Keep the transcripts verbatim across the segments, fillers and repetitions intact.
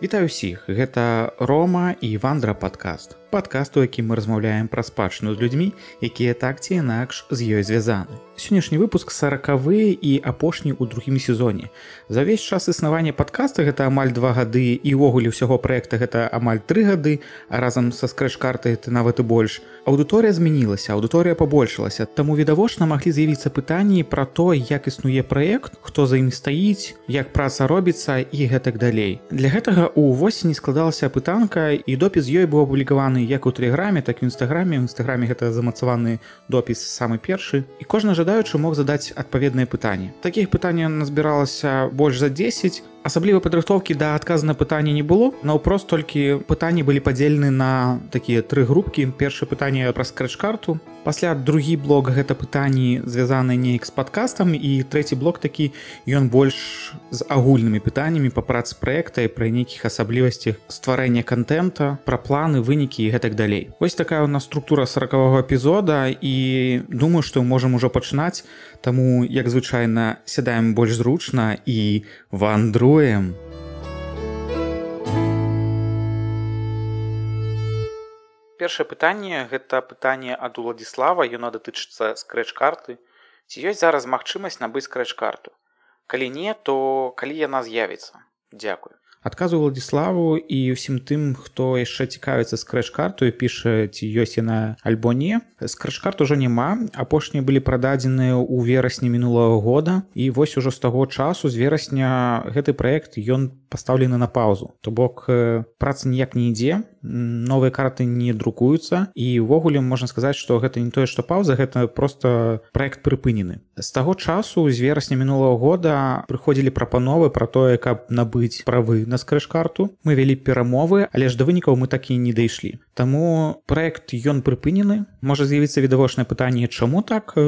Вітаю ўсіх, гэта Рома і Вандра падкаст. Падкаст, у якім мы размаўляем пра спадчыну з людзьмі, якія так ці інакш з ёй звязаны. Сённяшні выпуск саракавы і апошні ў другім сезоне. За ўвесь час існавання падкаста гэта амаль два гады і ўвогуле ўсяго праекта гэта амаль тры гады, а разам са скрэч-картай это нават і больш. Аўдыторыя змянілася, аўдыторыя пабольшылася, таму відавочна маглі з'явіцца пытанні пра то, як існуе праект, хто за ім стаіць, як праца робіцца і гэтак далей. Для гэтага у восені складалася пытанка, і допіс ёй быў апублікаваны як у тэлеграме, так і ў інстаграме. У інстаграме гэта замацаваны допіс самы першы. І кожны жадаючы мог задаць адпаведныя пытанні. Такіх пытанняў назбіралася больш за дзесяць. Асаблівай падрыхтоўкі да адказу на пытанне не было. Наўпрост толькі пытанні былі падзелены на такія тры групкі. Першае пытанне пра скрэч-карту. Пасля другі блок гэта пытанні звязаныя неяк з падкастам, і трэці блок такі, ён больш з агульнымі пытаннямі па працы праекта і пра нейкіх асаблівасцях стварэння контента, пра планы, вынікі і гэтак далей. Вось такая у нас структура саракавога эпізода, і думаю, што можам ужо пачынаць, таму, як звычайна, сядаем больш зручна і вандруем. Першае пытанне – гэта пытанне ад Уладзіслава, яно датычыцца скрэч-карты. Ці ёсць зараз магчымасць набыць скрэч-карту? Калі не, то калі яна з'явіцца? Дзякуй. Адказу Уладзіславу і ўсім тым, хто яшчэ цікавіцца скрэч-карту і піша, ці ёсць яна альбо не. Скрэч-карт ужо няма, апошнія былі прададзеныя ў верасні мінулага года, і вось ужо з таго часу, з верасня, гэты праект, ён пастаўлены на паўзу. То бок, праца ніяк не ідзе, новыя карты не друкуюцца, і ўвогуле можна сказаць, што гэта не тое, што паўза, гэта проста праект прыпынены. З таго часу, з верасня мінулага года, прыходзілі прапановы пра тое, каб набыць правы на скрэч-карту. Мы вялі перамовы, але ж да вынікаў мы так і не дайшлі. Таму праект ён прыпынены. Можа з'явіцца відавочнае пытанне, чаму так?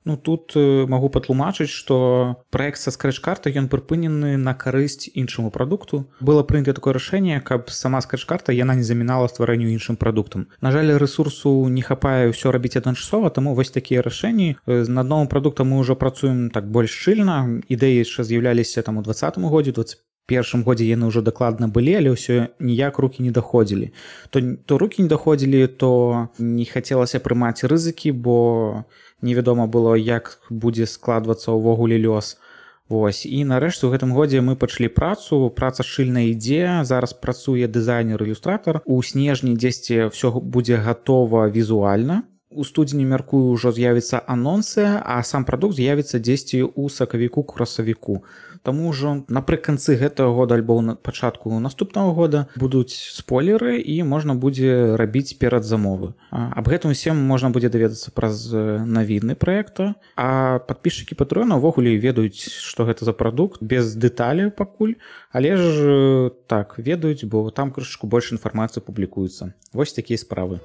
Ну, тут магу патлумачыць, што праект са скрэч-картай ён прыпынены на карысць іншаму прадукту. Было прынята такое рашэнне, каб сама скрэч-карта яна не замінала стварэнню іншым прадуктам. На жаль, рэсурсу не хапае ўсё рабіць адначасова, таму вось такія рашэнні. Над новым прадуктам мы ўжо працуем так больш шчыльна. Ідэі яшчэ з'яўляліся там у дваццатым годзе, дваццаць першым годзе яны ўжо дакладна былі, але ўсё ніяк рукі не даходзілі. То, то рукі не даходзілі, то не хацелася прымаць рызыкі, бо невядома было, як будзе складвацца ўвогуле лёс. Вось. І нарэшце ў гэтым годзе мы пачалі працу, праца шчыльна ідзе, зараз працуе дызайнер-ілюстратар. У снежні дзесьці ўсё будзе гатова візуальна. У студзені, мяркую, ўжо з'явіцца анонсы, а сам прадукт з'явіцца дзесьці ў сакавіку-красавіку. Таму ўжо напрыканцы гэтага года альбо на пачатку наступнага года будуць спойлеры, і можна будзе рабіць перадзамовы. Аб гэтым усім можна будзе даведацца праз навіны праекта, а падпісчыкі Патрэона ўвогуле ведаюць, што гэта за прадукт, без дэталяў пакуль, але ж так, ведаюць, бо там крышачку больш інфармацыі публікуецца. Вось такія справы.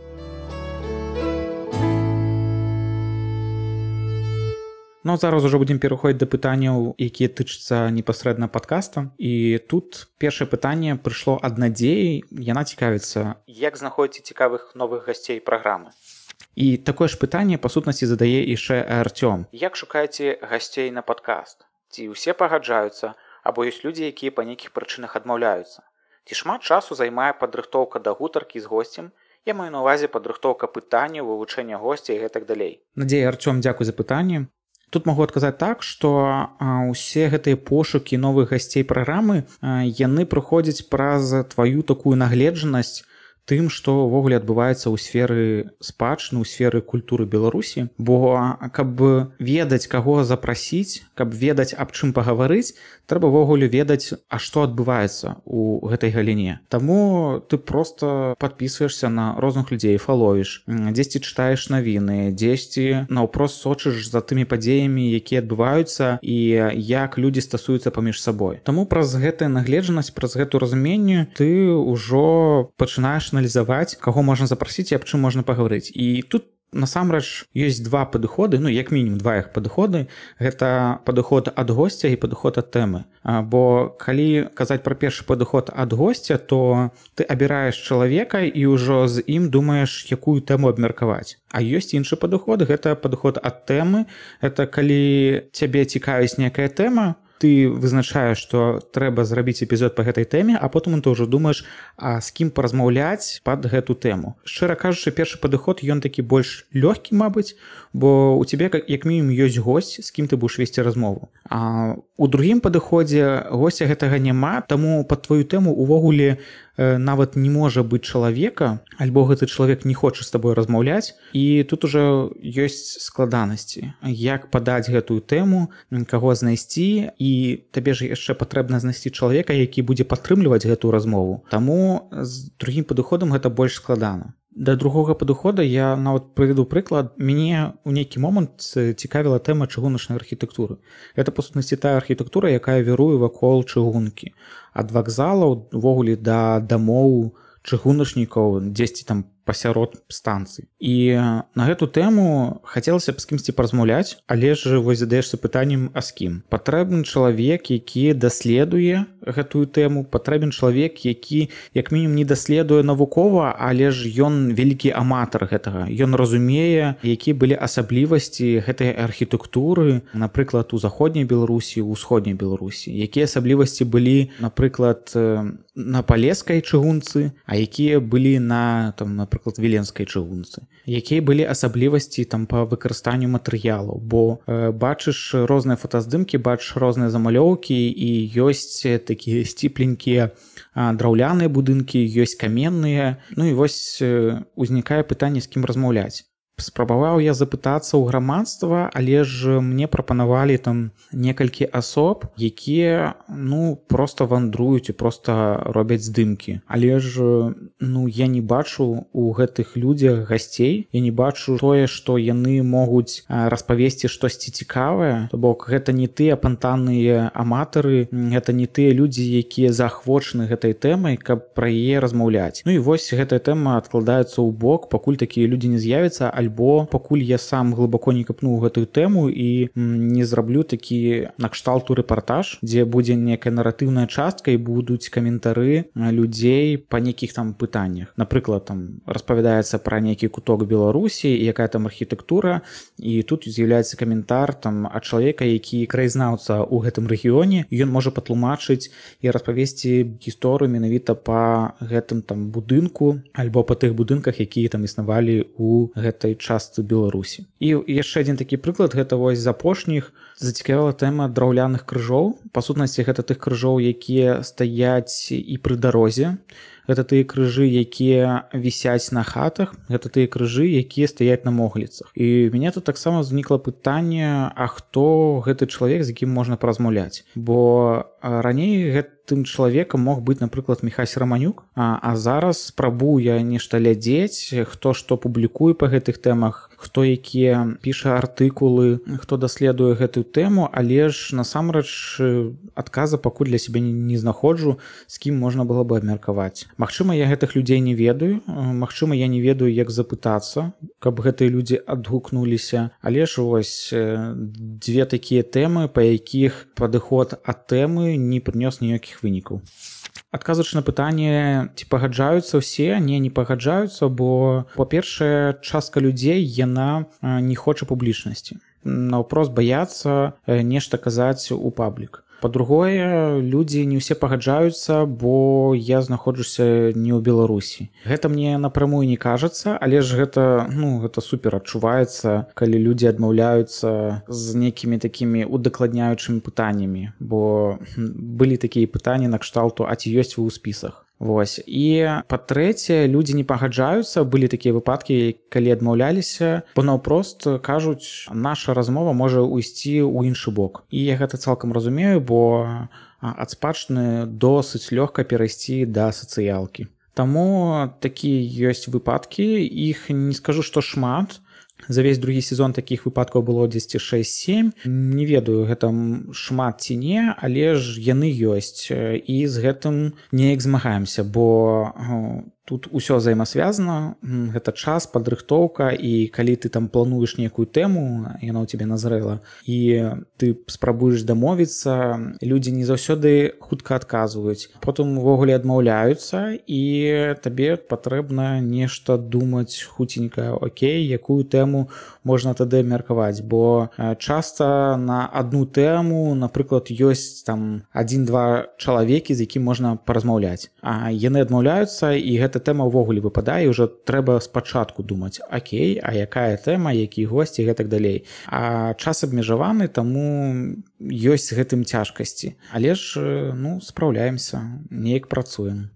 Ну, зараз ужо будзем пераходзіць да пытанняў, якія тычацца непасрэдна падкаста. І тут першае пытанне прыйшло ад Надзеі. Яна цікавіцца, як знаходзіце цікавых новых гасцей праграмы. І такое ж пытанне, па сутнасці, задае яшчэ Артём. Як шукаеце гасцей на падкаст? Ці ўсе пагаджаюцца, або ёсць людзі, якія па нейкіх прычынах адмаўляюцца? Ці шмат часу займае падрыхтоўка да гутаркі з госцем? Я маю на ўвазе падрыхтоўка пытанняў, вывучэння госця і гэтак далей. Надзея, Артём, дзякуй за пытанне. Тут могу адказаць так, што ўсе гэтыя пошукі новых гасцей праграмы, яны прыходзяць праз тваю такую нагледжанасць тым, што ўвогуле адбываецца ў сферы спадчыны, у сферы культуры Беларусі. Бо каб ведаць, каго запрасіць, каб ведаць, аб чым пагаварыць, трэба ўвогуле ведаць, а што адбываецца ў гэтай галіне. Таму ты проста падпісваешся на розных людзей, фаловіш, дзесьці чытаеш навіны, дзесьці наўпрост сочыш за тымі падзеямі, якія адбываюцца, і як людзі стасуюцца паміж сабой. Таму праз гэтую нагледжанасць, праз гэту разуменне ты ўжо пачынаеш аналізаваць, каго можна запрасіць і аб чым можна пагаварыць. І тут насамрэч ёсць два падыходы, ну як мінімум два іх падыходы. Гэта падыход ад госця і падыход ад тэмы. Бо калі казаць пра першы падыход ад госця, то ты абіраеш чалавека і ўжо з ім думаеш, якую тэму абмеркаваць. А ёсць іншы падыход, гэта падыход ад тэмы. Гэта калі цябе цікавіць некая тэма, ты вызначаеш, што трэба зрабіць эпізод па гэтай тэме, а потым ты ўжо думаеш, а з кім паразмаўляць пад гэту тэму. Шчыра кажучы, першы падыход ён такі больш лёгкі, мабыць, бо у цябе як мінімум ёсць госць, з кім ты будаш весці размову. А у другім падыходзе госця гэтага няма, таму пад тваю тэму увогуле нават не можа быць чалавека, альбо гэты чалавек не хоча з табой размаўляць, і тут ужо ёсць складанасці. Як падаць гэтую тэму, каго знайсці, і табе ж яшчэ патрэбна знайсці чалавека, які будзе падтрымліваць гэтую размову. Таму з другім падыходам гэта больш складана. Да другога падыхода я нават прыведу прыклад. Мяне ў нейкі момант цікавіла тэма чыгуначнай архітэктуры. Гэта, па сутнасці, тая архітэктура, якая віруе вакол чыгункі. Ад вакзалаў увогуле да дамоў чыгуначнікаў, дзесьці там пасярод станцыі. І на гэту тэму хацелася б з кімсьці паразмаўляць, але ж вось задаешся пытаннем, а з кім? Патрэбен чалавек, які даследуе гэтую тэму, патрэбен чалавек, які як мінімум не даследуе навукова, але ж ён вялікі аматар гэтага. Ён разумее, якія былі асаблівасці гэтай архітэктуры, напрыклад, у заходняй Беларусі, у ўсходняй Беларусі. Якія асаблівасці былі, напрыклад, на палескай чыгунцы, а якія былі на, там, напрыклад, віленскай чыгунцы. Якія былі асаблівасці там па выкарыстанню матэрыялаў, бо э, бачыш розныя фотаздымкі, бачыш розныя замалёўкі, і ёсць такія сціпленькія драўляныя будынкі, ёсць каменныя. Ну і вось э, узнікае пытанне, з кім размаўляць. Спрабаваў я запытацца ў грамадства, але ж мне прапанавалі там некалькі асоб, якія, ну, проста вандруюць і проста робяць здымкі. Але ж, ну, я не бачу у гэтых людзях гасцей, я не бачу тое, што яны могуць распавесці штосьці цікавае. То бок, гэта не тыя апантаныя аматары, гэта не тыя людзі, якія заахвочаны гэтай тэмай, каб пра яе размаўляць. Ну і вось гэтая тэма адкладаецца ў бок, пакуль такія людзі не з'явяцца, альбо пакуль я сам глыбоко не капну гэтую тэму і не зраблю такі накшталту рэпартаж, дзе будзе некая наратыўная частка і будуць каментары людзей па нейкіх там пытаннях. Напрыклад, там распавядаецца пра нейкі куток Беларусі, якая там архітэктура, і тут з'яўляецца каментар там ад чалавека, які краязнаўца ў гэтым рэгіёне, ён можа патлумачыць і распавесці гісторыю менавіта па гэтым там будынку альбо па тых будынках, якія там існавалі ў гэтай частцы Беларусі. І яшчэ адзін такі прыклад, гэта вось з апошніх зацікавіла тэма драўляных крыжоў. Па сутнасці, гэта тых крыжоў, якія стаяць і пры дарозе. Гэта тыя крыжы, якія вісяць на хатах, гэта тыя крыжы, якія стаяць на могліцах. І ў мяне тут таксама ўзнікла пытанне, а хто гэты чалавек, з якім можна паразмаўляць? Бо раней гэтым чалавекам мог быць, напрыклад, Міхась Раманюк, а, а зараз спрабую я нешта глядзець, хто што публікуе па гэтых тэмах, хто якія піша артыкулы, хто даследуе гэтую тэму, але ж насамрэч адказа пакуль для сябе не знаходжу, з кім можна было бы абмеркаваць. Магчыма, я гэтых людзей не ведаю, магчыма, я не ведаю, як запытацца, каб гэтыя людзі адгукнуліся, але ж вось дзве такія тэмы, па якіх падыход ад тэмы не прынёс ніякіх вынікаў. Адказваючы на пытанне, ці пагаджаюцца ўсе, не, не пагаджаюцца, бо, па-першае, частка людзей, яна не хоча публічнасці. Наўпрост баяцца нешта казаць у паблік. Па-другое, людзі не ўсе пагаджаюцца, бо я знаходжуся не ў Беларусі. Гэта мне напрамую не кажацца, але ж гэта, ну, гэта супер адчуваецца, калі людзі адмаўляюцца з нейкімі такімі удакладняючымі пытаннямі, бо былі такія пытанні накшталту, а ці ёсць вы ў спісах. Вось. І па-трэцяе, людзі не пагаджаюцца, былі такія выпадкі, калі адмаўляліся, бо наўпрост кажуць, наша размова можа ўйсці ў іншы бок. І я гэта цалкам разумею, бо ад спадчыны досыць лёгка перайсці да сацыялкі. Таму такія ёсць выпадкі, іх не скажу, што шмат. За весь другі сезон такіх выпадкаў было дзесьці шэсць-сем. Не ведаю, гэта шмат ці не, але ж яны ёсць. І з гэтым неяк змагаемся, бо тут усё взаимасвязана, гэта час, падрыхтоўка, і калі ты там плануеш нейкую тэму, яна ў цябе назрэла, і ты спрабуеш дамовіцца, людзі не заўсёды хутка адказваюць, потым увогуле адмаўляюцца, і табе патрэбна нешта думаць хуценька, окей, якую тэму можна тады абмеркаваць, бо часта на адну тэму, напрыклад, ёсць там адзін-два чалавекі, з якім можна паразмаўляць, а яны адмаўляюцца, і гэта тэма ўвогуле выпадае, і ўжо трэба спачатку думаць, окей, а якая тэма, які госці і гэтак далей. А час абмежаваны, таму ёсць з гэтым цяжкасці. Але ж, ну, спраўляемся, неяк працуем.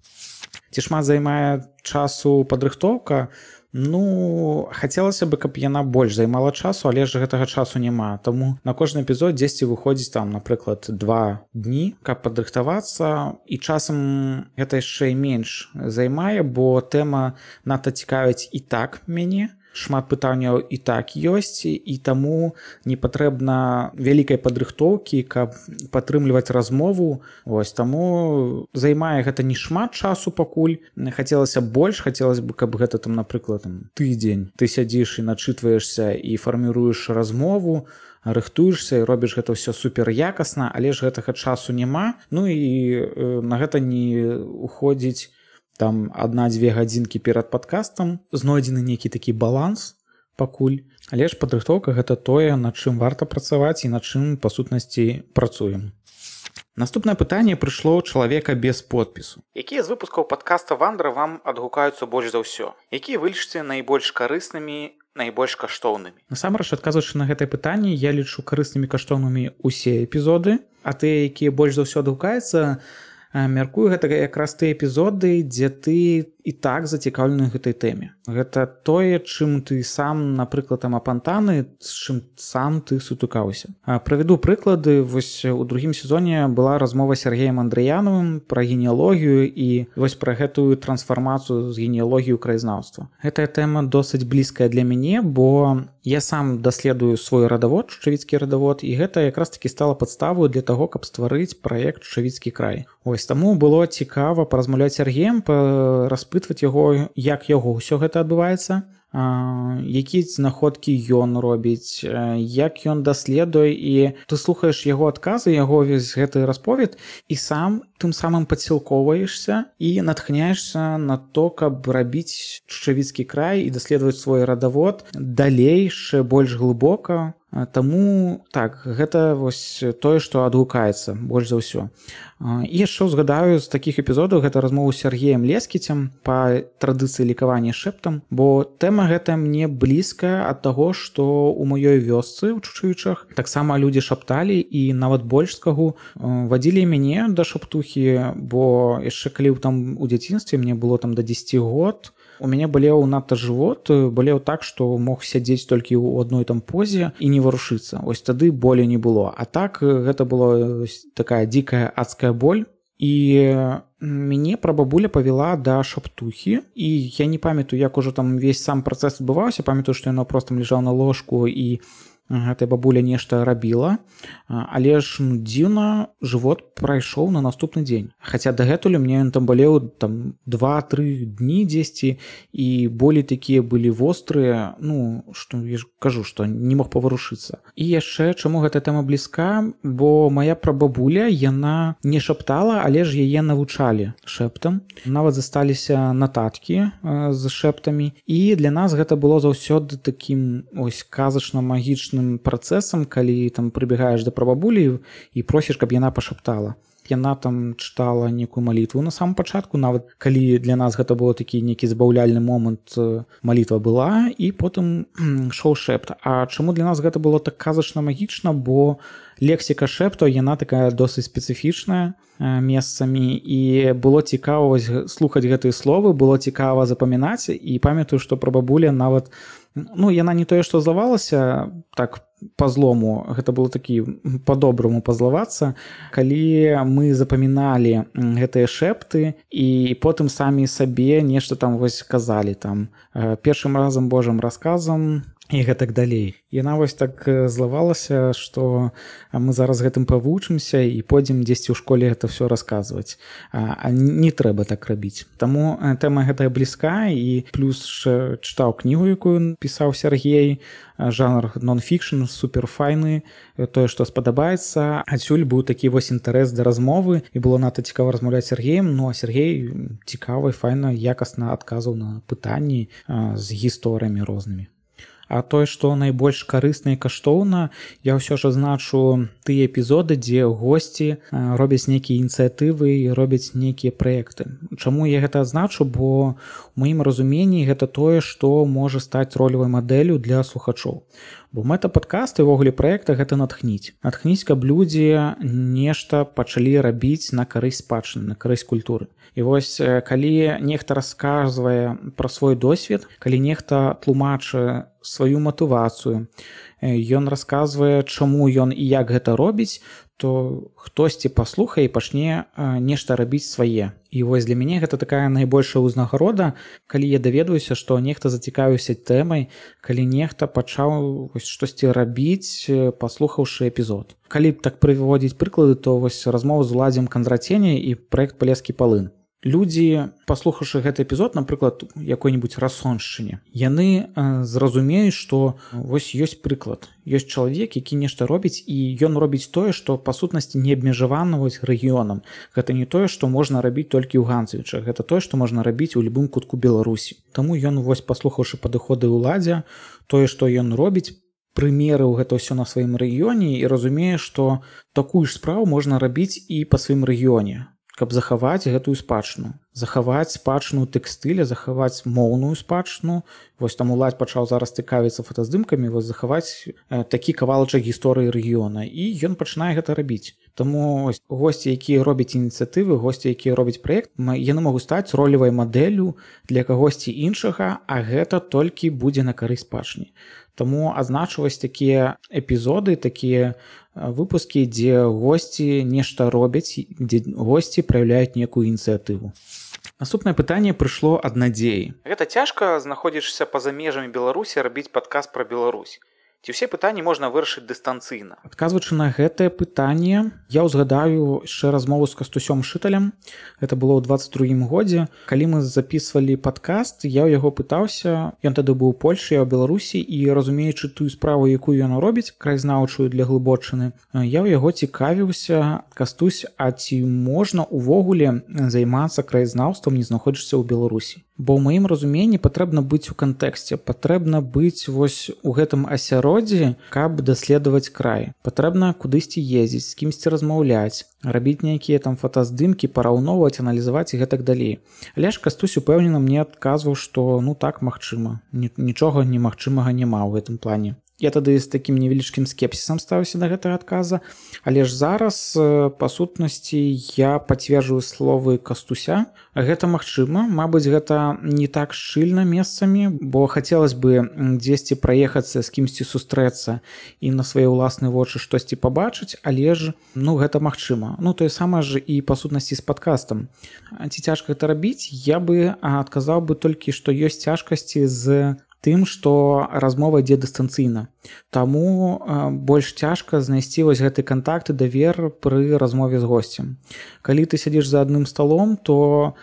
Ці шмат займае часу падрыхтоўка? Ну, хацелася бы, каб яна больш займала часу, але ж гэтага часу няма. Таму на кожны эпізод дзесьці выходзіць там, напрыклад, два дні, каб падрыхтавацца, і часам гэта яшчэ і менш займае, бо тэма надта цікавіць і так мяне. Шмат пытанняў і так ёсць, і таму не патрэбна вялікай падрыхтоўкі, каб падтрымліваць размову. Вось, таму займае гэта не шмат часу пакуль. Хацелася больш, хацелася бы, каб гэта там, напрыклад, там, тыдзень ты сядзіш і начытваешся і фарміруеш размову, рыхтуешся і робіш гэта ўсё супер якасна, але ж гэтага часу няма. Ну і э, на гэта не уходзіць там адна-дзве гадзінкі перад падкастам, знойдзены нейкі такі баланс пакуль. Але ж падрыхтоўка гэта тое, над чым варта працаваць і над чым, па сутнасці, працуем. Наступнае пытанне прыйшло ў чалавека без подпісу. Якія з выпускаў падкаста «Вандра» вам адгукаюцца больш за ўсё? Якія вы лічыце найбольш карыснымі, найбольш каштоўнымі? Насамрэч, адказваючы на гэтае пытанне, я лічу карыснымі каштоўнымі ўсе эпізоды, а тыя, якія больш за ўсё адгукаюцца, мяркую, гэта якраз тыя эпізоды, дзе ты і так зацікаўлены гэтай тэме. Гэта тое, чым ты сам, напрыклад, там апантаны, з чым сам ты сутыкаўся. Правяду прыклады. Вось у другім сезоне была размова з Сергеем Андрыянавым пра генеалогію і вось пра гэтую трансфармацыю з генеалогіі ў краязнаўства. Гэтая тэма досыць блізкая для мяне, бо я сам даследую свой радавод, Чучавіцкі радавод, і гэта якраз такі стала падставою для таго, каб стварыць праект «Чучавіцкі край». Ось таму было цікава паразмаўляць з Сергеем, распытваць яго, як яго ўсё гэта адбываецца, якія знаходкі ён робіць, як ён даследуе, і ты слухаеш яго адказы, яго весь гэты расповед, і сам тым самым падсілкоўваешся і натхняешся на то, каб рабіць Чучавіцкі край і даследаваць свой радавод далей, яшчэ больш глыбока. Таму так, гэта вось тое, што адгукаецца больш за ўсё. І яшчэ узгадаю з такіх эпізодаў, гэта размову з Сергеем Лескіцем па традыцыі лікавання шэптам, бо тэма гэта мне блізкая ад таго, што ў маёй вёсцы ў Чучавічах таксама людзі шапталі, і нават больш скагу вадзілі мяне да шаптухі, бо яшчэ калі там у дзяцінстве мне было там да дзесяці год, у мяне балеў надта жывот, балеў так, што мог сядзець толькі ў адной там позе і не варушыцца. Ось тады болей не было. А так гэта была такая дзікая адская боль. І мяне прабабуля павяла да шаптухі, і я не памятаю, як ужо там увесь сам працэс адбываўся, памятаю, што яна проста ляжала на ложку і гэтая бабуля нешта рабіла, але ж ну, дзіўна, жывот прайшоў на наступны дзень. Хаця дагэтуль мне ён там балеў там два-тры дні дзесьці, і болі такія былі вострыя, ну, што я ж кажу, што не мог паварушыцца. І яшчэ, чаму гэта тэма блізка, бо моя прабабуля, яна не шаптала, але ж яе навучалі шэптам. Нават засталіся нататкі з шэптамі, і для нас гэта было заўсёды такім ось казачна-магічным працэсам, калі там прыбегаеш да прабабулі і просіш, каб яна пашаптала. Яна там чытала некую малітву на самом пачатку, нават калі для нас гэта было такі нейкі забаўляльны момант, малітва была, і потым шоу шэпт. А чаму для нас гэта было так казачна-магічна, бо лексіка шэптаў, яна такая досыць спецыфічная месцамі, і было цікава слухаць гэтыя словы, было цікава запамінаць, і памятаю, што прабабуля нават, ну, яна не тое, што злавалася так па-злому, гэта было такі па-добраму пазлавацца, калі мы запаміналі гэтыя шэпты і потым самі сабе нешта там вось казалі там першым разам Божым расказам і гэтак далей. Яна вось так злавалася, што мы зараз гэтым павучымся і пойдзем дзесьці ў школе гэта ўсё расказваць. А, а не трэба так рабіць. Таму тэма гэтая блізка, і плюс чытаў кнігу, якую пісаў Сергей, жанр нон-фікшн, суперфайны, тое, што спадабаецца. Адсюль быў такі вось інтарэс да размовы, і было надта цікава размаўляць з Сергеем, ну а Сергей цікава і файна, якасна адказваў на пытанні з гісторыямі рознымі. А тое, што найбольш карысна і каштоўна, я ўсё ж азначу тыя эпізоды, дзе госці робяць нейкія ініцыятывы і робяць нейкія праекты. Чаму я гэта адзначу? Бо у маім разуменні гэта тое, што можа стаць ролевай мадэллю для слухачоў. Бо мэта падкаста і ўвогуле праекта гэта натхніць. Натхніць, каб людзі нешта пачалі рабіць на карысць спадчыны, на карысць культуры. І вось калі нехта расказвае пра свой досвед, калі нехта тлумачыць сваю матывацыю, ён расказвае, чаму ён і як гэта робіць, то хтосьці паслухае і пачне нешта рабіць свае. І вось для мяне гэта такая найбольшая ўзнагарода, калі я даведваюся, што нехта зацікавіўся тэмай, калі нехта пачаў штосьці рабіць, паслухаўшы эпізод. Калі б так прыводзіць прыклады, то вось размова з Уладзем Кандратеняй і праект «Палескі палын». Людзі, паслухаўшы гэты эпізод, напрыклад, якой-небудзь расоншчыне, яны э, зразумеюць, што вось ёсць прыклад. Ёсць чалавек, які нешта робіць, і ён робіць тое, што па сутнасці не абмежавана вось рэгіёнам. Гэта не тое, што можна рабіць толькі ў Ганцевічах, гэта тое, што можна рабіць у любым кутку Беларусі. Таму ён, вось паслухаўшы падыходы ўладдзя, тое, што ён робіць, прымерыў гэта ўсё на сваім рэгіёне і разумее, што такую ж справу можна рабіць і па сваім рэгіёне, каб захаваць гэтую спадчыну, захаваць спадчыну тэкстыля, захаваць моўную спадчыну. Вось там Уладзь пачаў зараз цікавіцца фотаздымкамі, вось захаваць э, такі кавалачак гісторыі рэгіёна, і ён пачынае гэта рабіць. Таму госці, якія робяць ініцыятывы, госці, якія робяць праект, яны могуць стаць ролевай мадэллю для кагосьці іншага, а гэта толькі будзе на карысць спадчыне. Таму азначваць такія эпізоды, такія выпускі, дзе госці нешта робяць, дзе госці праяўляюць некую ініцыятыву. Наступнае пытанне прыйшло ад Надзеі. Гэта цяжка, знаходзішся па-за межамі Беларусі, рабіць падкаст пра Беларусь. Ці ўсе пытанні можна вырашыць дыстанцыйна? Адказваючы на гэтае пытанне, я ўзгадаю яшчэ размову з Кастусём Шыталем. Гэта было ў дваццаць другім годзе. Калі мы запісвалі падкаст, я ў яго пытаўся, ён тады быў у Польшы, я ў Беларусі, і разумеючы тую справу, якую ён робіць, краязнаўчую для Глыбочыны, я ў яго цікавіўся: Кастусь, а ці можна ўвогуле займацца краязнаўствам, не знаходзішся ў Беларусі? Бо ў маім разуменні патрэбна быць у кантэксце, патрэбна быць вось у гэтым асяроддзі, каб даследаваць край. Патрэбна кудысьці ездзіць, з кімсьці размаўляць, рабіць нейкія там фотаздымкі, параўноўваць, аналізаваць і гэтак далей. Але ж Кастусь упэўнена мне адказваў, што ну так, магчыма. Нічога немагчымага няма ў гэтым плане. Я тады з такім невялічкім скепсісам ставіўся да гэтага адказа, але ж зараз, па сутнасці, я пацверджую словы Кастуся. Гэта магчыма, мабыць, гэта не так шчыльна месцамі, бо хацелось бы дзесьці праехацца, з кімсьці сустрэцца і на свае ўласныя вочы штосьці пабачыць, але ж ну гэта магчыма. Ну тое самае ж і па сутнасці з падкастам. Ці цяжка гэта рабіць? Я бы адказаў бы толькі, што ёсць цяжкасці з тым, што размова ідзе дыстанцыйна. Таму э, больш цяжка знайсці вось гэты кантакт і давер пры размове з госцем. Калі ты сядзіш за адным сталом, то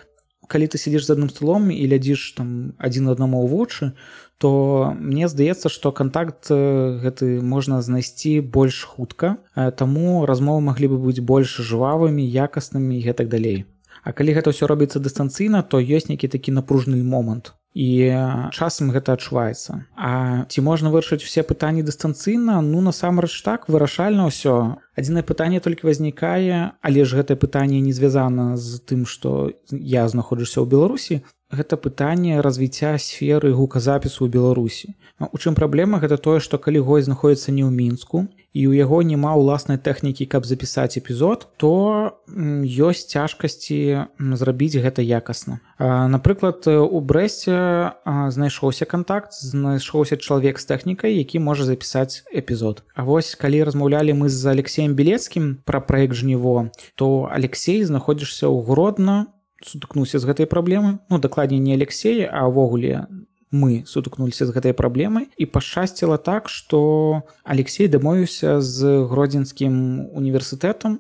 калі ты сядзіш за адным сталом і глядзіш там адзін аднаму ў вочы, то мне здаецца, што кантакт гэты можна знайсці больш хутка, э, таму размовы маглі бы быць больш жвавымі, якаснымі і гэтак далей. А калі гэта ўсё робіцца дыстанцыйна, то ёсць нейкі такі напружны момант. І часам гэта адчуваецца. А ці можна вырашыць усе пытанні дыстанцыйна? Ну, насамрэч так, вырашальна ўсё. Адзінае пытанне толькі вознікае, але ж гэтае пытанне не звязана з тым, што я знаходжуся ў Беларусі. Гэта пытанне развіцця сферы гуказапісу ў Беларусі. У чым праблема? Гэта тое, што калі госць знаходзіцца не ў Мінску, і ў яго няма ўласнай тэхнікі, каб запісаць эпізод, то ёсць цяжкасці зрабіць гэта якасна. Напрыклад, у Брэсце знайшоўся кантакт, знайшоўся чалавек з тэхнікай, які можа запісаць эпізод. А вось калі размаўлялі мы з Алексеем Белецкім пра праект «Жніво», то Алексей знаходзішся ў Гродна, сутыкнуўся з гэтай праблемай. Ну, дакладней не Алексей, а ўвогуле мы сутыкнуліся з гэтай праблемай, і пашчасціла так, што Алексей дамовіўся з Гродзенскім універсітэтам,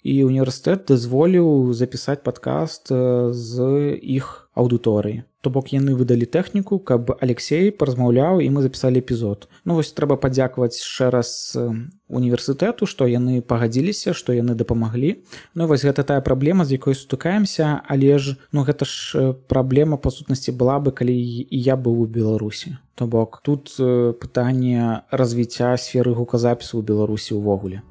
і універсітэт дазволіў запісаць падкаст з іх аўдыторыі. То бок яны выдалі тэхніку, каб Алексей паразмаўляў, і мы запісалі эпізод. Ну вось трэба падзякаваць яшчэ раз універсітэту, што яны пагадзіліся, што яны дапамаглі. Ну вось гэта тая праблема, з якой сутыкаемся, але ж ну гэта ж праблема па сутнасці была бы, калі і я быў у Беларусі. То бок тут пытанне развіцця сферы гуказапісу ў Беларусі ўвогуле.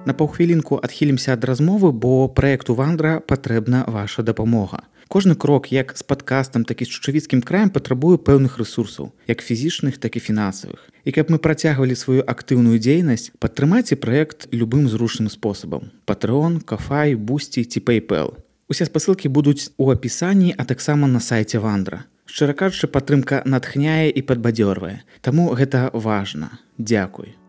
На паўхвілінку адхілімся ад размовы, бо праекту Вандра патрэбна ваша дапамога. Кожны крок як з падкастам, так і з Чучавіцкім краем патрабуе пэўных рэсурсаў, як фізічных, так і фінансавых. І каб мы працягвалі сваю актыўную дзейнасць, падтрымайце праект любым зручным спосабам. Patreon, Ko-fi, Boosty ці PayPal. Усе спасылкі будуць у апісанні, а таксама на сайце Вандра. Шчыра кажучы, падтрымка натхняе і падбадзёрвае. Таму гэта важна. Дзякуй.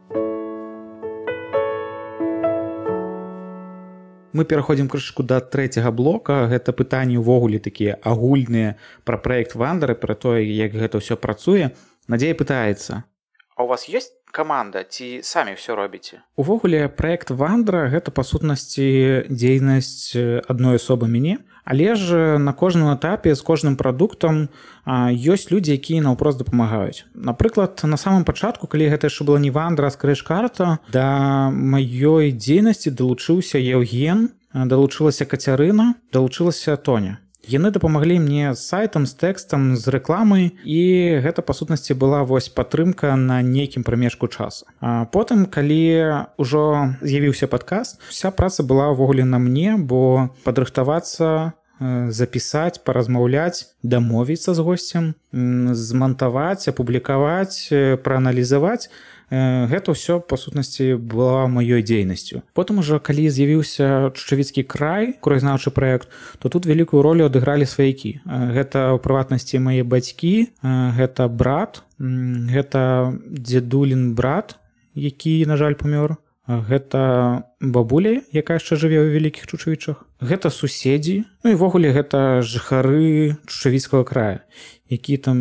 Мы пераходзім крышку да трэцяга блока. Гэта пытанні ўвогуле такія агульныя пра праект Вандра, пра тое, як гэта ўсё працуе. Надзея пытаецца: а у вас ёсць каманда ці самі ўсё робіце? Увогуле праект Вандра гэта па сутнасці дзейнасць адной асобы мяне, але ж на кожным этапе з кожным прадуктам ёсць людзі, якія наўпрост дапамагаюць. Напрыклад, на самым пачатку, калі гэта яшчэ была не Вандра, а скрэч-карта, да маёй дзейнасці далучыўся Еўген, далучылася Кацярына, далучылася Тоня. Яны дапамаглі мне з сайтам, з тэкстам, з рэкламай, і гэта, па сутнасці, была вось падтрымка на нейкім прамежку часу. А потым, калі ўжо з'явіўся падкаст, вся праца была ўвогуле на мне, бо падрыхтавацца, запісаць, паразмаўляць, дамовіцца з госцем, змантаваць, апублікаваць, прааналізаваць, гэта ўсё, па сутнасці, была маёй дзейнасцю. Потым ужо, калі з'явіўся Чучавіцкі край, краязнаўчы праект, то тут вялікую ролю адыгралі сваякі. Гэта, у прыватнасці, мае бацькі, гэта брат, гэта дзедулін брат, які, на жаль, памёр, гэта бабуля, якая яшчэ жыве ў Вялікіх Чучавічах, гэта суседзі, ну і ўвогуле гэта жыхары Чучавіцкага края, які там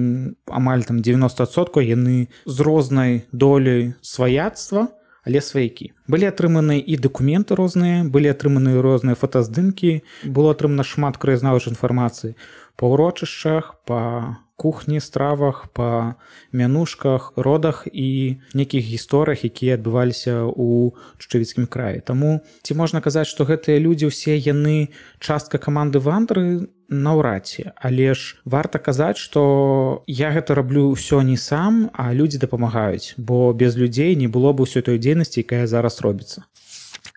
амаль там дзевяноста адсоткаў яны з рознай доляй сваяцтва, але сваякі. Былі атрыманы і дакументы розныя, былі атрыманы розныя фотаздымкі, было атрымана шмат краязнаўчай інфармацыі па ўрочышчах, па кухні, стравах, па мянушках, родах і нейкіх гісторыях, якія адбываліся ў Чучавіцкім краі. Таму ці можна казаць, што гэтыя людзі ўсе яны частка каманды Вандры? Наўрад ці. Але ж варта казаць, што я гэта раблю ўсё не сам, а людзі дапамагаюць, бо без людзей не было б усёй той дзейнасці, якая зараз робіцца.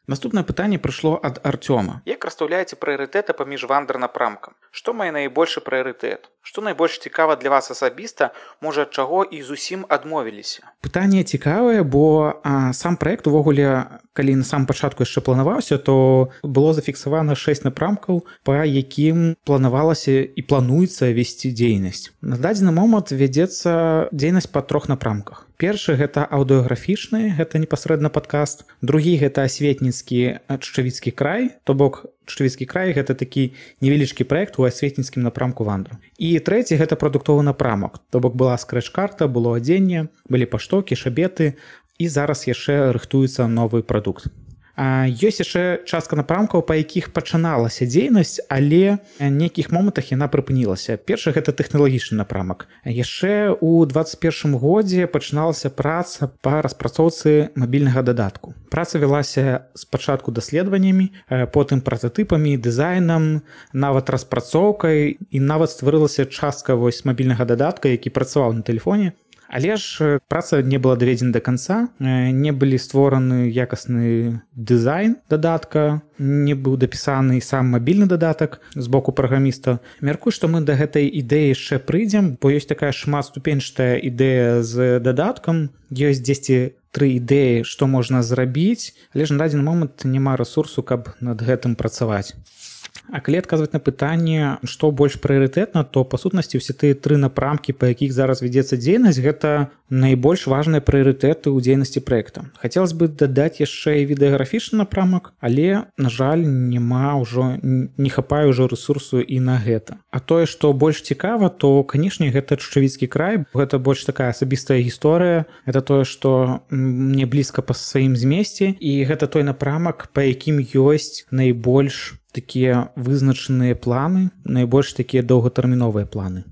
Наступнае пытанне прыйшло ад Арцёма. Як расстаўляеце прыярытэты паміж Вандра-напрамкам? Што мае найбольшы прыярытэт? Што найбольш цікава для вас асабіста, можа, ад чаго і зусім адмовіліся? Пытанне цікавае, бо а, сам праект увогуле, калі на самом пачатку яшчэ планаваўся, то было зафіксавана шэсць напрамкаў, па якім планавалася і плануецца весці дзейнасць. На дадзены момант вядзецца дзейнасць па трох напрамках. Першы гэта аўдыёграфічны, гэта непасрэдна падкаст. Другі гэта асветніцкі Чучавіцкі край, то бок Чучавіцкі край гэта такі невялічкі праект у асветніцкім напрамку Вандры. І трэці гэта прадуктовы напрамак, то бок была скрэч-карта, было адзенне, былі паштоўкі, шабеты, і зараз яшчэ рыхтуецца новы прадукт. А ёсць яшчэ частка напрамкаў, па якіх пачыналася дзейнасць, але ў нейкіх момантах яна прыпынілася. Першы гэта тэхналагічны напрамак. Яшчэ ў дваццаць першым годзе пачыналася праца па распрацоўцы мабільнага дадатку. Праца вялася спачатку даследаваннямі, потым прататыпамі, дызайнам, нават распрацоўкай, і нават стварылася частка вось мабільнага дадатка, які працаваў на тэлефоне. Але ж праца не была даведзена да канца, не былі створаны якасны дызайн дадатка, не быў дапісаны сам мабільны дадатак з боку праграміста. Мяркую, што мы да гэтай ідэі яшчэ прыйдзем, бо ёсць такая шматступенчатая ідэя з дадаткам, ёсць дзесьці тры ідэі, што можна зрабіць, але ж на дадзены момант няма рэсурсу, каб над гэтым працаваць. А калі адказваць на пытанне, што больш прыярытэтна, то па сутнасці ўсе тыя тры напрамкі, па якіх зараз вядзецца дзейнасць, гэта найбольш важныя прыярытэты ў дзейнасці праекта. Хацелось бы дадаць яшчэ і відэаграфічны напрамак, але, на жаль, няма ўжо, не хапае ўжо рэсурсу і на гэта. А тое, што больш цікава, то, канешне, гэта Чучавіцкі край, гэта больш такая асабістая гісторыя, гэта тое, што мне блізка па сваім змесце, і гэта той напрамак, па якім ёсць найбольш такія вызначаныя планы, найбольш такія доўгатэрміновыя планы.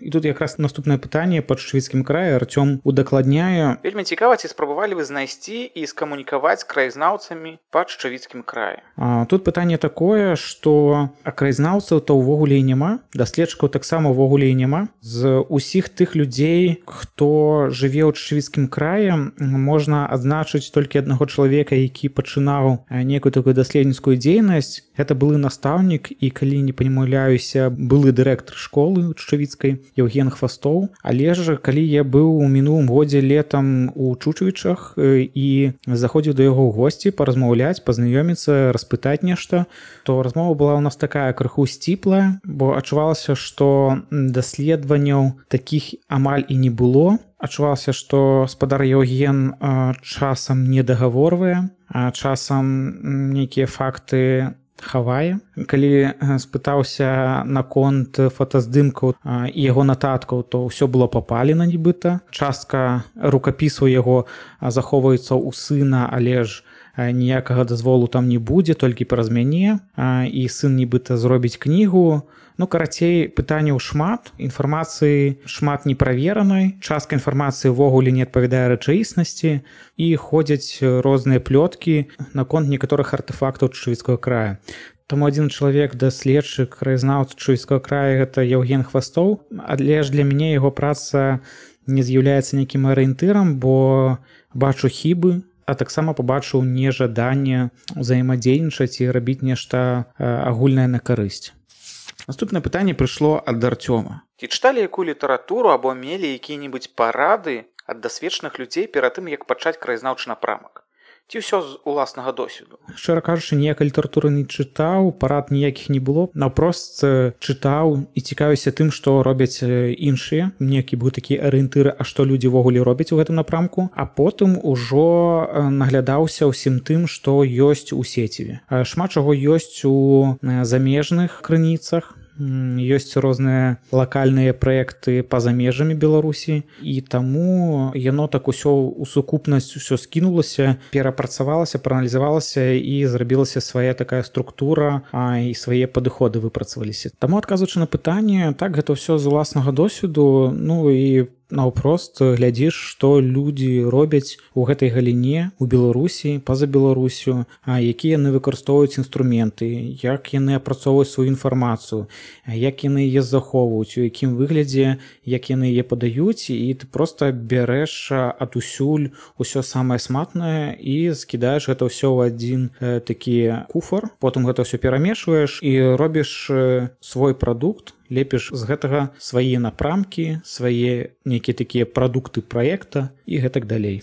І тут якраз наступнае пытанне па Чучавіцкім краі Артём удакладняе. Вельмі цікава, ці спрабавалі вы знайсці і скамунікаваць з краязнаўцамі па Чучавіцкім краі? А, тут пытанне такое, што а краязнаўцаў то ўвогуле і няма, даследчыкаў таксама ўвогуле і няма. З усіх тых людзей, хто жыве ў Чучавіцкім краі, можна адзначыць толькі аднаго чалавека, які пачынаў некую такую даследніцкую дзейнасць. Гэта былы настаўнік і, калі не памыляюся, былы дырэктар школы Чучавіцкай Евген Хвастоў. Але ж, калі я быў у мінулым годзе летам у Чучавічах і заходзіў да яго ў госці паразмаўляць, пазнаёміцца, распытаць нешта, то размова была ў нас такая крыху сціплая, бо адчувалася, што даследаванняў такіх амаль і не было. Адчувалася, што спадар Евген часам не дагаворвае, а часам нейкія факты хавае. Калі спытаўся наконт фотаздымкаў і яго нататкаў, то ўсё было папалена нібыта. Частка рукапісаў яго захоўваецца ў сына, але ж ніякага дазволу там не будзе, толькі праз мяне, і сын нібыта зробіць кнігу. Ну, карацей, пытанняў шмат, інфармацыі шмат неправеранай, частка інфармацыі ўвогуле не адпавядае рэчаіснасці і ходзяць розныя плёткі наконт некаторых артэфактаў Чучавіцкага края. Таму адзін чалавек, даследчык, краязнаўца Чучавіцкага края, гэта Евген Хвастоў, але ж для мяне яго праца не з'яўляецца нейкім арыентырам, бо бачу хібы, а таксама пабачыў нежаданне ўзаемадзейнічаць і рабіць нешта агульнае на карысць. Наступнае пытанне прыйшло ад Артёма. Ці чыталі якую літаратуру або мелі якія-небудзь парады ад дасведчаных людзей перад тым, як пачаць краязнаўчы напрамак? Ці ўсё з уласнага досведу? Шчыра кажучы, ніякай літаратуры не чытаў, парад ніякіх не было. Наўпрост чытаў і цікавіўся тым, што робяць іншыя. Некі быў такі арыентыр, а што людзі ўвогуле робяць у гэтым напрамку. А потым ужо наглядаўся ўсім тым, што ёсць у сеціве. Шмат чаго ёсць у замежных крыніцах. Ёсць розныя лакальныя праекты па-за межамі Беларусі, і таму яно так усё ў сукупнасць усё скінулася, перапрацавалася, прааналізавалася і зрабілася свая такая структура, а і свае падыходы выпрацаваліся. Таму, адказваючы на пытанне, так, гэта ўсё з уласнага досведу, ну і наўпрост глядзіш, што людзі робяць у гэтай галіне у Беларусі, па-за Беларусю, якія яны выкарыстоўваюць інструменты, як яны апрацоўваюць сваю інфармацыю, як яны яе захоўваюць, у якім выглядзе, як яны яе падаюць, і ты проста бярэш адусюль усё самае сматнае і скідаеш гэта ўсё ў адзін такі куфар, потым гэта ўсё перамешваеш і робіш свой прадукт, лепіш з гэтага свае напрамкі, свае нейкія такія прадукты праекта і гэтак далей.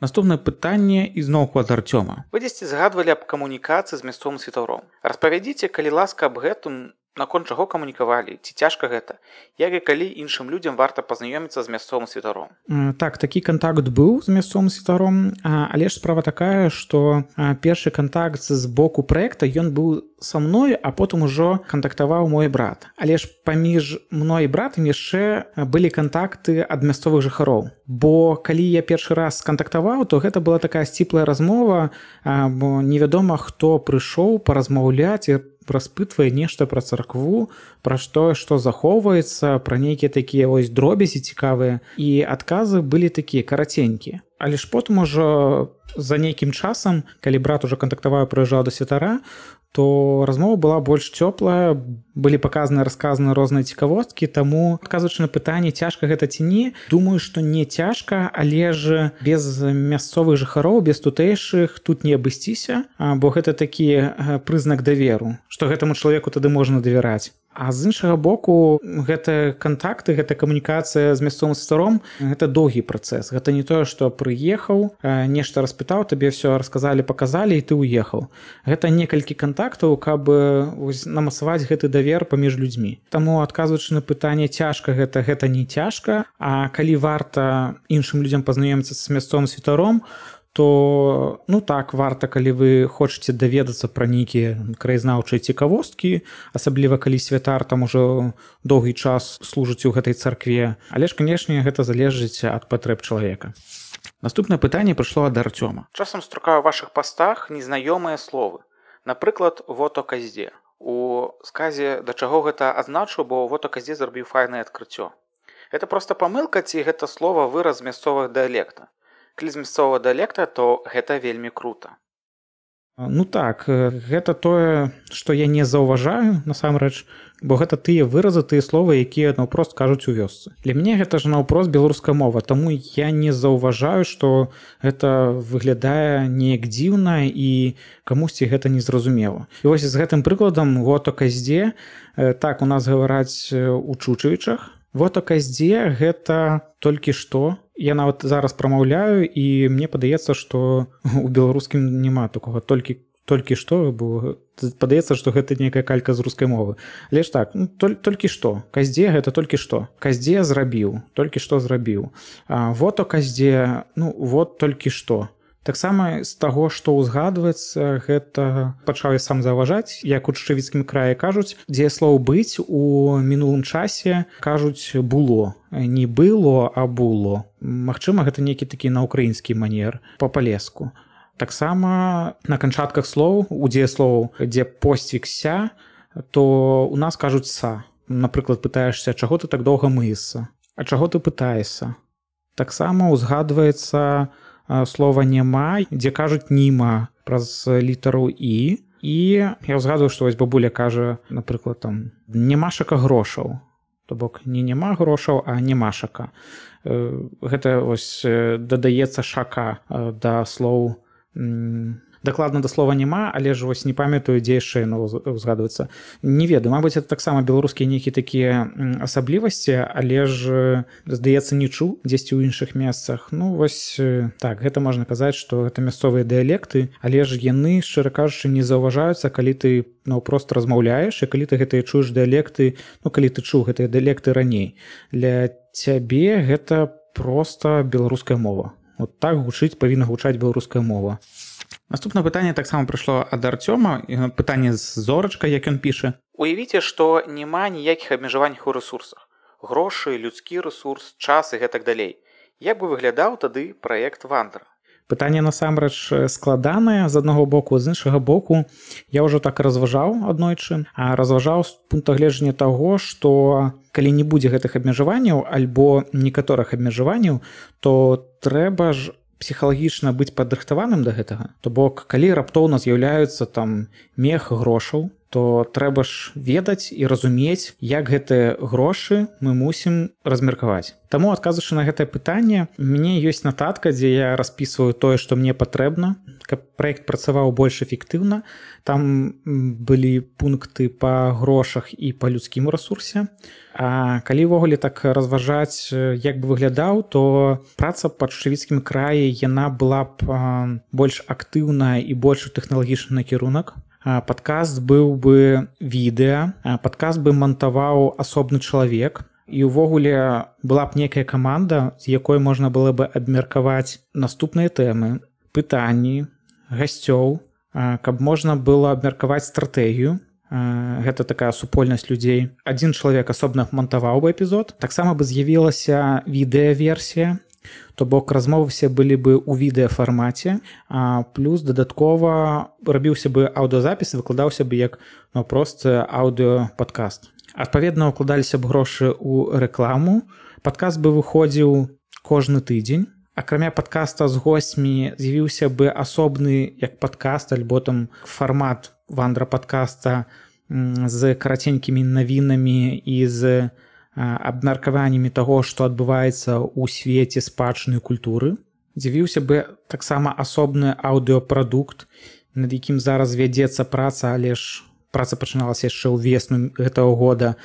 Наступнае пытанне ізноўку ад Артёма. Вы дзесьці згадвалі аб камунікацыі з мясцовым святаром. Распавядзіце, калі ласка, аб гэтым, наконт чаго камунікавалі, ці цяжка гэта, як і калі іншым людзям варта пазнаёміцца з мясцовым святаром? Так, такі кантакт быў з мясцовым святаром, але ж справа такая, што першы кантакт з боку праекта, ён быў са мной, а потым ужо кантактаваў мой брат. Але ж паміж мной і братам яшчэ былі кантакты ад мясцовых жыхароў. Бо калі я першы раз кантактаваў, то гэта была такая сціплая размова, бо невядома, хто прыйшоў паразмаўляць і распытвае нешта пра царкву, пра што, што захоўваецца, пра нейкія такія вось дробязі цікавыя. І адказы былі такія караценькія. Але ж потым ужо за нейкім часам, калі брат ужо кантактаваў і прыязджаў да святара, то размова была больш цёплая, былі паказаны, расказаны розныя цікавосткі, таму, адказваючы на пытанне, цяжка гэта ці не, думаю, што не цяжка, але ж без мясцовых жыхароў, без тутэйшых тут не абысціся, бо гэта такі прызнак даверу, што гэтаму чалавеку тады можна давяраць. А з іншага боку гэта кантакты, гэта камунікацыя з мясцовым святаром, гэта доўгі працэс. Гэта не тое, што прыехаў, нешта распытаў, табе все расказалі, паказалі і ты ўехаў. Гэта некалькі кантактаў, каб намацаваць гэты давер паміж людзьмі. Таму адказваючы на пытанне цяжка гэта, гэта не цяжка, а калі варта іншым людзям пазнаёміцца з мясцовым святаром, то ну так варта, калі вы хочаце даведацца пра нейкія краязнаўчыя цікавосткі, асабліва калі святар там ужо доўгі час служыць у гэтай царкве, але ж канешне гэта залежыць ад патрэб чалавека. Наступнае пытанне прыйшло ад Арцёма. Часам струкаю ў вашых пастах незнаёмыя словы. Напрыклад, вот оказде. У сказе да чаго гэта азначу, бо вот оказде зрабіў файнае адкрыццё. Гэта проста памылка ці гэта слова выраз мясцовага дыялекта? Калі з мясцовага дыялекта, то гэта вельмі крута. Ну так, гэта тое, што я не заўважаю, насамрэч, бо гэта тыя выразы, тыя словы, якія наўпрост кажуць у вёсцы. Для мяне гэта ж наўпрост беларуская мова, таму я не заўважаю, што гэта выглядае неяк дзіўна і камусьці гэта незразумела. І вось з гэтым прыкладам вот оказде, так у нас гавараць у Чучевічах, вот оказде гэта толькі што. Я нават зараз прамаўляю, і мне падаецца, што у беларускім няма такога толькі толькі што, бо падаецца, што гэта нейкая калька з рускай мовы. Але ж так, ну, толь, толькі што. Каздзе гэта толькі што. Каздзе зрабіў, толькі што зрабіў. А, вот оказде, ну вот толькі што. Таксама з таго, што ўзгадваецца, гэта пачаў я сам заўважаць, як у Чучевіцкім краі кажуць, дзеяслоў быць у мінулым часе кажуць было. Не было, а было. Магчыма, гэта нейкі такі на ўкраінскі манер, па-палеску. Таксама на канчатках слоў, у дзеяслоў, дзе посцвікся, то у нас кажуць са. Напрыклад, пытаешся, чаго ты так доўга мыешся? А чаго ты пытаешся? Таксама ўзгадваецца слова няма, дзе кажуць німа праз літару і. І я ўзгадваю, што вось бабуля кажа, напрыклад, там нямашака грошаў. То бок не няма грошаў, а немашака. Гэта вось дадаецца шака да слоў, дакладна да слова няма, але ж вось не памятаю, дзе яшчэ яно ўзгадваецца. Не ведаю, мабыць, это таксама беларускія нейкія такія асаблівасці, але ж, здаецца, не чуў дзесьці ў іншых месцах. Ну, вось так, гэта можна казаць, што гэта мясцовыя дыялекты, але ж яны, шчыра кажучы, не заўважаюцца, калі ты наўпрост размаўляеш, і калі ты гэтыя чуеш дыялекты, ну, калі ты чуў гэтыя дыялекты раней. Для цябе гэта проста беларуская мова. Вот так гучыць, павінна гучаць беларуская мова. Наступнае пытанне таксама прыйшло ад Арцёма, пытанне з зорачкай, як ён піша. Уявіце, што няма ніякіх абмежаванняў у рэсурсах. Грошы, людскі рэсурс, час і гэтак далей. Як бы выглядаў тады праект Вандра? Пытанне насамрэч складанае з аднаго боку, з іншага боку я ўжо так разважаў аднойчы, а разважаў з пункта гледжання таго, што калі не будзе гэтых абмежаванняў альбо некаторых абмежаванняў, то трэба ж псіхалагічна быць падрыхтаваным да гэтага. То бок, калі раптоўна з'яўляюцца там мех грошаў, то трэба ж ведаць і разумець, як гэтыя грошы мы мусім размеркаваць. Таму, адказваючы на гэтае пытанне, у мяне ёсць нататка, дзе я распісваю тое, што мне патрэбна, каб праект працаваў больш эфектыўна. Там былі пункты па грошах і па людскім рэсурсе. А калі ўвогуле так разважаць, як бы выглядаў, то праца па Чучевіцкім краі, яна была б больш актыўная і больш тэхналагічны накірунак. Падкаст быў бы відэа, падкаст бы мантаваў асобны чалавек, і ўвогуле была б некая каманда, з якой можна было бы абмеркаваць наступныя тэмы, пытанні, гасцёў, каб можна было абмеркаваць стратэгію. Гэта такая супольнасць людзей. Адзін чалавек асобна мантаваў бы эпізод. Таксама бы з'явілася відэаверсія, то бок размовы былі бы ў відэафармаце, а плюс дадаткова рабіўся бы аўдыёзапіс і выкладаўся бы як ну, проста аўдыёпадкаст. Адпаведна, укладаліся б грошы ў рэкламу. Падкаст бы выходзіў кожны тыдзень. Акрамя падкаста з госцьмі з'явіўся бы асобны як падкаст альбо там фармат вандра-падкаста з караценькімі навінамі і з абмеркаваннямі таго, што адбываецца ў свеце спадчыны культуры. З'явіўся бы таксама асобны аўдыёпрадукт, над якім зараз вядзецца праца, але ж праца пачыналася яшчэ ўвесну гэтага года,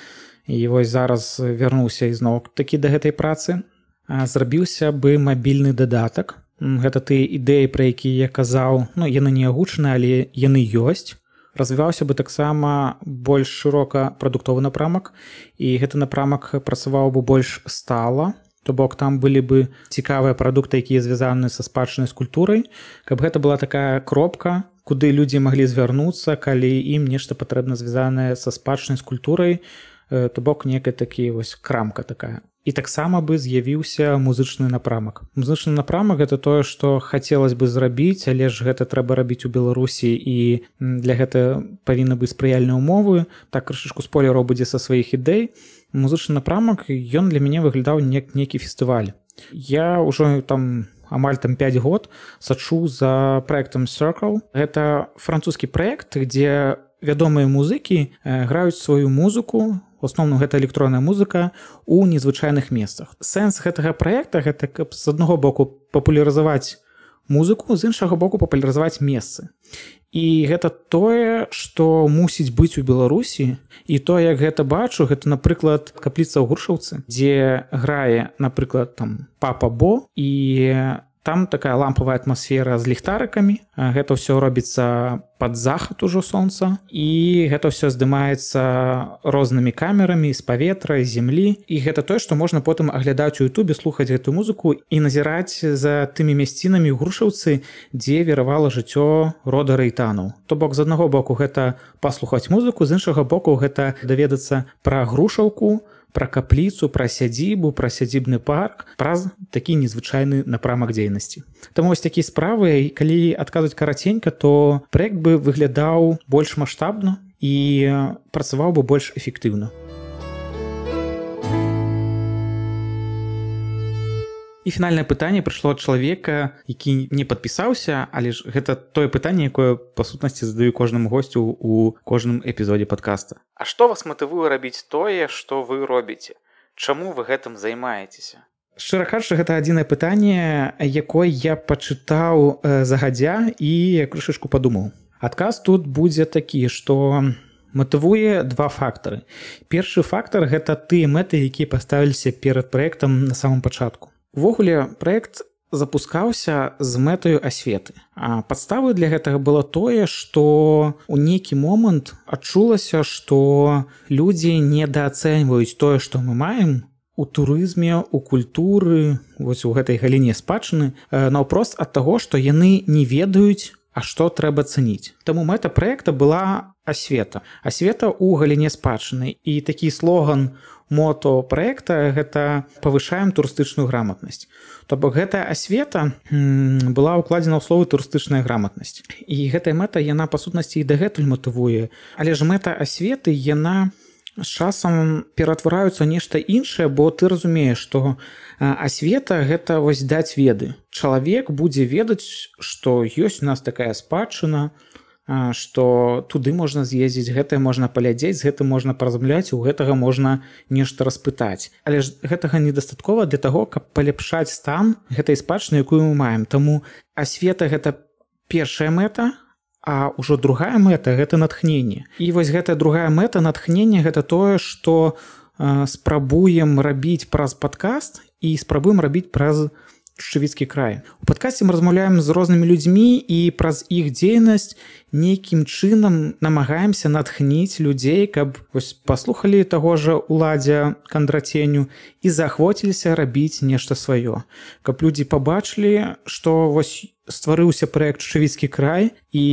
і вось зараз вярнуўся ізноў такі да гэтай працы. Зрабіўся бы мабільны дадатак. Гэта тыя ідэі, пра якія я казаў, ну, яны не агучаны, але яны ёсць. Развіваўся бы таксама больш шырока прадуктовы напрамак, і гэты напрамак працаваў бы больш стала, то бок там былі бы цікавыя прадукты, якія звязаны са спадчыннай з культурай, каб гэта была такая кропка, куды людзі маглі звярнуцца, калі ім нешта патрэбна звязанае са спадчынай з культурай, то бок некая такі вось крамка такая. І таксама бы з'явіўся музычны напрамак. Музычны напрамак гэта тое, што хацелось бы зрабіць, але ж гэта трэба рабіць у Беларусі, і для гэта павінны быць спрыяльныя ўмовы. Так крышачку спойлераў будзе са сваіх ідэй. Музычны напрамак, ён для мяне выглядаў як нейкі фестываль. Я ўжо там амаль там пяць год сачу за праектам Circle. Гэта французскі праект, дзе вядомыя музыкі граюць сваю музыку, в асноўным гэта электронная музыка, у незвычайных месцах. Сэнс гэтага праекта гэта каб з аднаго боку папулярызаваць музыку, з іншага боку папулярызаваць месцы. І гэта тое, што мусіць быць у Беларусі, і то, як гэта бачу, гэта, напрыклад, капліца ў Грушаўцы, дзе грае, напрыклад, там Папа Бо, і там такая лампавая атмасфера з ліхтарыкамі. Гэта ўсё робіцца пад захад ужо сонца, і гэта ўсё здымаецца рознымі камерамі з паветра, з зямлі. І гэта тое, што можна потым аглядаць у Ютубе, слухаць гэтую музыку і назіраць за тымі мясцінамі ў Грушаўцы, дзе віравала жыццё рода Рэйтанаў. То бок, з аднаго боку гэта паслухаць музыку, з іншага боку гэта даведацца пра Грушаўку, пра капліцу, пра сядзібу, пра сядзібны парк, праз такі незвычайны напрамак дзейнасці. Таму вось такія справы, калі адказваць караценька, то праект бы выглядаў больш маштабна і працаваў бы больш эфектыўна. І фінальнае пытанне прыйшло ад чалавека, які не падпісаўся, але ж гэта тое пытанне, якое па сутнасці задаю кожнаму госцю ў кожным эпізодзе падкаста. А што вас матывуе рабіць тое, што вы робіце? Чаму вы гэтым займаецеся? Шчыра кажучы, гэта адзінае пытанне, якое я пачытаў загадзя і крышачку падумаў. Адказ тут будзе такі, што матывуе два фактары. Першы фактар гэта тыя мэты, якія паставіліся перад праектам на самым пачатку. Увогуле, праект запускаўся з мэтаю асветы. А падставай для гэтага было тое, што ў нейкі момант адчулася, што людзі недаацэньваюць тое, што мы маем у турызме, у культуры, вось у гэтай галіне спадчыны, наўпрост ад таго, што яны не ведаюць, а што трэба цэніць. Таму мэта праекта была асвета. Асвета ў галіне спадчыны. І такі слоган мото праекта гэта павышаем турыстычную граматнасць. То бок гэтая асвета была ўкладзена ў словы турыстычная граматнасць. І гэтая мэта, яна па сутнасці і дагэтуль матывуе. Але ж мэта асветы, яна з часам ператвараюцца нешта іншае, бо ты разумееш, што асвета гэта вось даць веды. Чалавек будзе ведаць, што ёсць у нас такая спадчына, што туды можна з'ездзіць, гэтае можна паглядзець, з гэтым можна паразмаўляць, у гэтага можна нешта распытаць. Але ж гэтага недастаткова для таго, каб паляпшаць стан гэтай спадчыны, якую мы маем. Таму асвета гэта першая мэта, а ўжо другая мэта гэта натхненне. І вось гэтая другая мэта натхнення гэта тое, што э, спрабуем рабіць праз падкаст і спрабуем рабіць праз Шчывіцкі край. У падкасце мы размаўляем з рознымі людзьмі і праз іх дзейнасць нейкім чынам намагаемся натхніць людзей, каб вось паслухалі таго жа Уладзя Кандраценю і заахвоціліся рабіць нешта сваё. Каб людзі пабачылі, што вось стварыўся праект Шчывіцкі край і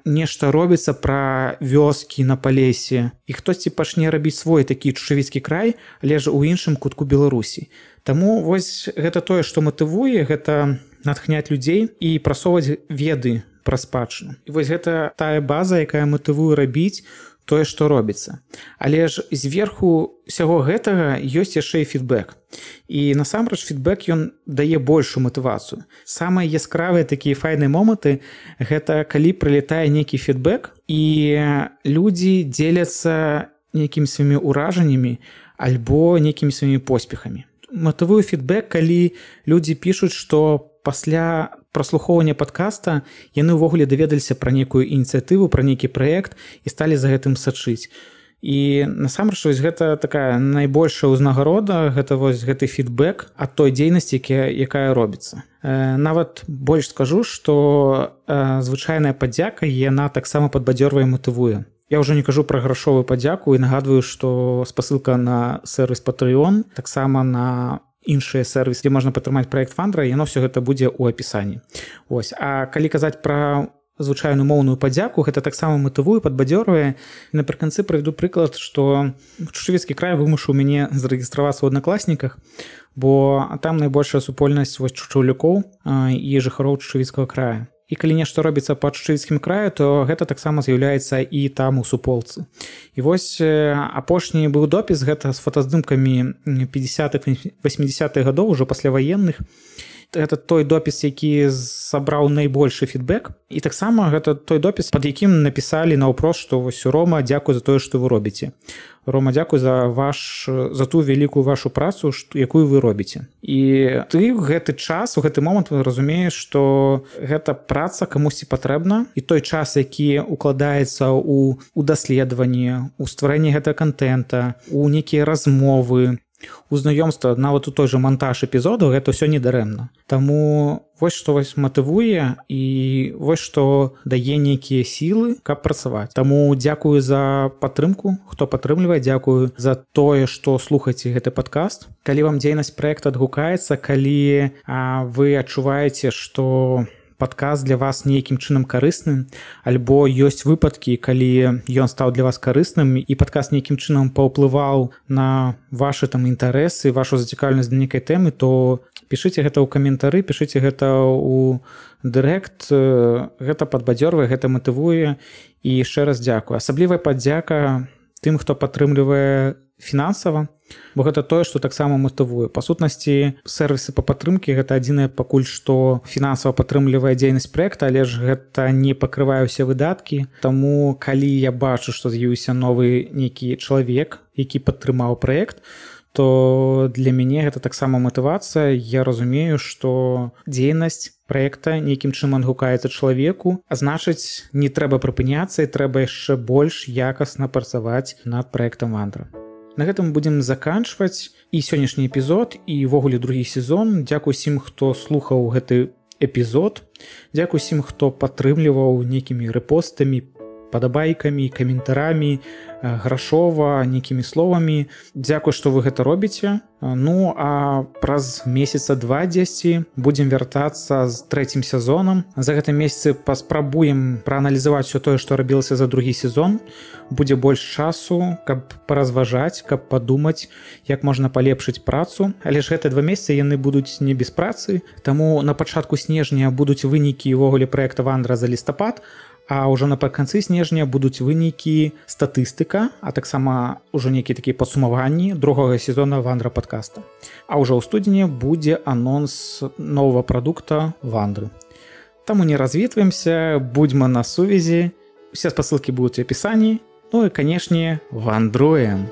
нешта робіцца пра вёскі на Палесе. І хтосьці пачне рабіць свой такі Шчывіцкі край, але ж у іншым кутку Беларусі. Таму вось гэта тое, што матывуе, гэта натхняць людзей і прасоўваць веды пра спадчыну. І вось гэта тая база, якая матывуе рабіць тое, што робіцца. Але ж зверху ўсяго гэтага ёсць яшчэ і фідбэк. І насамрэч фідбэк ён дае большую матывацыю. Самыя яскравыя такія файныя моманты гэта калі прылетае нейкі фідбэк і людзі дзеляцца нейкімі сваімі ўражаннямі альбо нейкімі сваімі поспехамі. Матывуе фідбэк, калі людзі пішуць, што пасля праслухоўвання падкаста яны ўвогуле даведаліся пра нейкую ініцыятыву, пра нейкі праект і сталі за гэтым сачыць. І насамрэч вось гэта такая найбольшая ўзнагарода, гэта вось гэты фідбэк ад той дзейнасці, якая робіцца. Нават больш скажу, што звычайная падзяка яна таксама падбадзёрвае, матывуе. Я ўжо не кажу пра грашовую падзяку і нагадваю, што спасылка на сервіс Patreon, таксама на іншыя сервісы, дзе можна падтрымаць праект Вандра, яно ўсё гэта будзе ў апісанні. Ось. А калі казаць пра звычайную моўную падзяку, гэта таксама матывуе, падбадзёрвае. І напрыканцы прывяду прыклад, што Чучавецкі край вымушаў мяне зарэгістравацца ў аднакласніках, бо там найбольшая супольнасць вось чучаўлюкоў і жыхароў Чучавецкага края. І калі нешта робіцца па Чучавецкім краю, то гэта таксама з'яўляецца і там у суполцы. І вось апошні быў допіс, гэта з фотаздымкамі пятидесятых восьмидесятых гадоў, ужо пасляваенных. Гэта той допіс, які сабраў найбольшы фідбэк. І таксама гэта той допіс, пад якім напісалі наўпрост, што вось Рома, дзякуй за тое, што вы робіце. Рома, дзякуй за ваш за ту вялікую вашу працу, якую вы робіце. І ты ў гэты час, у гэты момант разумееш, што гэта праца камусьці патрэбна, і той час, які укладаецца ў у даследаванні, у стварэнні гэтага кантэнта, у нейкія размовы, у знаёмства, нават у той жа монтаж эпізодаў, гэта ўсё недарэмна. Таму вось што вось матывуе і вось што дае нейкія сілы, каб працаваць. Таму дзякую за падтрымку, хто падтрымлівае, дзякую за тое, што слухаеце гэты падкаст. Калі вам дзейнасць праекта адгукаецца, калі а, вы адчуваеце, што падкаст для вас нейкім чынам карысным, альбо ёсць выпадкі, калі ён стаў для вас карысным і падкаст нейкім чынам паўплываў на вашы там інтарэсы, вашу зацікаўленасць да нейкай тэмы, то пішыце гэта ў каментары, пішыце гэта ў дырэкт, гэта падбадзёрвае, гэта матывуе. І яшчэ раз дзякую. Асаблівая падзяка тым, хто падтрымлівае фінансава, бо гэта тое, што таксама матывуе. Па сутнасці, сервісы па падтрымкі гэта адзінае пакуль што фінансава падтрымлівае дзейнасць праекта, але ж гэта не пакрывае ўсе выдаткі. Таму калі я бачу, што з'явіўся новы нейкі чалавек, які падтрымаў праект, то для мяне гэта таксама матывацыя. Я разумею, што дзейнасць праекта нейкім чынам адгукаецца чалавеку, а значыць, не трэба прыпыняцца і трэба яшчэ больш якасна працаваць над праектам Вандра. На гэтым будзем заканчваць і сённяшні эпізод, і ўвогуле другі сезон. Дзякуй усім, хто слухаў гэты эпізод. Дзякуй усім, хто падтрымліваў нейкімі рэпостамі, падабайкамі, каментарамі, грашова, нейкімі словамі. Дзякуй, што вы гэта робіце. Ну, а праз месяца два дзесьці будзем вяртацца з трэцім сезонам. За гэтым месяцы паспрабуем прааналізаваць усё тое, што рабілася за другі сезон. Будзе больш часу, каб паразважаць, каб падумаць, як можна палепшыць працу. Але ж гэтыя два месяцы яны будуць не без працы. Таму на пачатку снежня будуць вынікі ўвогуле праекта Вандра за лістапад, а ўжо напрыканцы снежня будуць вынікі статыстыка, а таксама ўжо нейкія такія падсумаванні другога сезона Вандра падкаста. А ўжо ў студзені будзе анонс новага прадукта Вандры. Таму не развітваемся, будзьма на сувязі. Усе спасылкі будуць у апісанні. Ну і, канешне, вандруем!